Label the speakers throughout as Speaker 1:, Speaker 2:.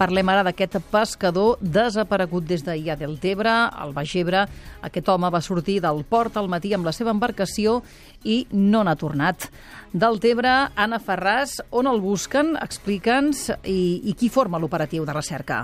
Speaker 1: Parlem ara d'aquest pescador desaparegut des d'ahir a Deltebre, al Baix Ebre. Aquest home va sortir del port al matí amb la seva embarcació i no n'ha tornat. Deltebre, Anna Ferràs, on el busquen? Explica'ns i qui forma l'operatiu de recerca.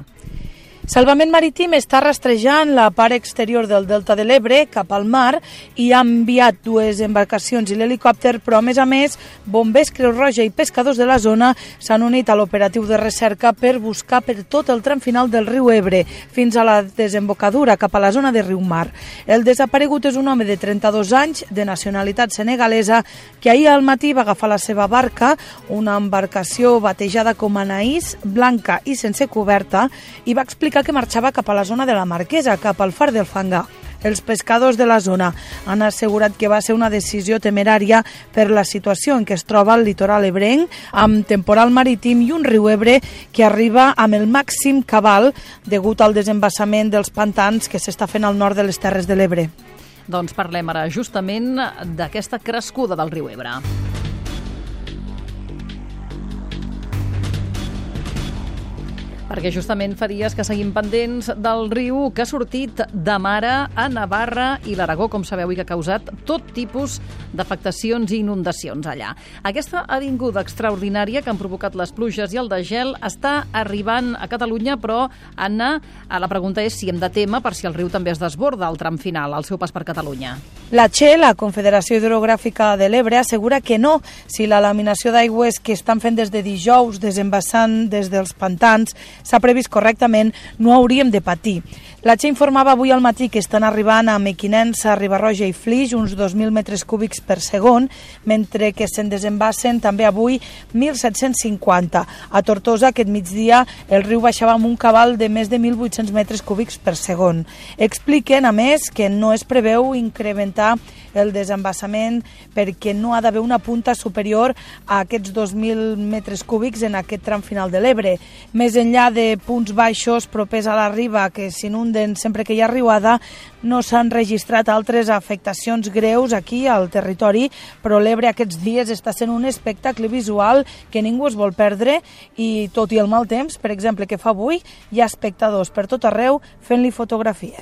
Speaker 2: Salvament Marítim està rastrejant la part exterior del Delta de l'Ebre cap al mar i ha enviat 2 embarcacions i l'helicòpter, però a més, bombers, Creu Roja i pescadors de la zona s'han unit a l'operatiu de recerca per buscar per tot el tram final del riu Ebre fins a la desembocadura cap a la zona de Riu Mar. El desaparegut és un home de 32 anys, de nacionalitat senegalesa, que ahir al matí va agafar la seva barca, una embarcació batejada com Anaïs, blanca i sense coberta, i va explicar que marxava cap a la zona de la Marquesa, cap al far del Fangar. Els pescadors de la zona han assegurat que va ser una decisió temerària per la situació en què es troba el litoral ebrenc, amb temporal marítim i un riu Ebre que arriba amb el màxim cabal degut al desembassament dels pantans que s'està fent al nord de les Terres de l'Ebre.
Speaker 1: Doncs parlem ara justament d'aquesta crescuda del riu Ebre. Perquè justament fa dies que seguim pendents del riu que ha sortit de mare a Navarra i l'Aragó, com sabeu, i que ha causat tot tipus d'afectacions i inundacions allà. Aquesta avinguda extraordinària que han provocat les pluges i el degel està arribant a Catalunya, però, Anna, la pregunta és si hem de témer per si el riu també es desborda al tram final, al seu pas per Catalunya.
Speaker 2: La CHE, la Confederació Hidrogràfica de l'Ebre, assegura que no, si la laminació d'aigües que estan fent des de dijous, desembassant des dels pantans, s'ha previst correctament, no hauríem de patir. La CHE informava avui al matí que estan arribant a Mequinensa, Riba-roja i Flix uns 2.000 metres cúbics per segon, mentre que se'n desembassen també avui 1.750. A Tortosa, aquest migdia, el riu baixava amb un cabal de més de 1.800 metres cúbics per segon. Expliquen, a més, que no es preveu incrementar el desembassament perquè no ha d'haver una punta superior a aquests 2.000 metres cúbics en aquest tram final de l'Ebre. Més enllà de punts baixos propers a la riba que s'inunden sempre que hi ha riuada, no s'han registrat altres afectacions greus aquí al territori, però l'Ebre aquests dies està sent un espectacle visual que ningú es vol perdre i, tot i el mal temps, per exemple, que fa avui, hi ha espectadors per tot arreu fent-li fotografies.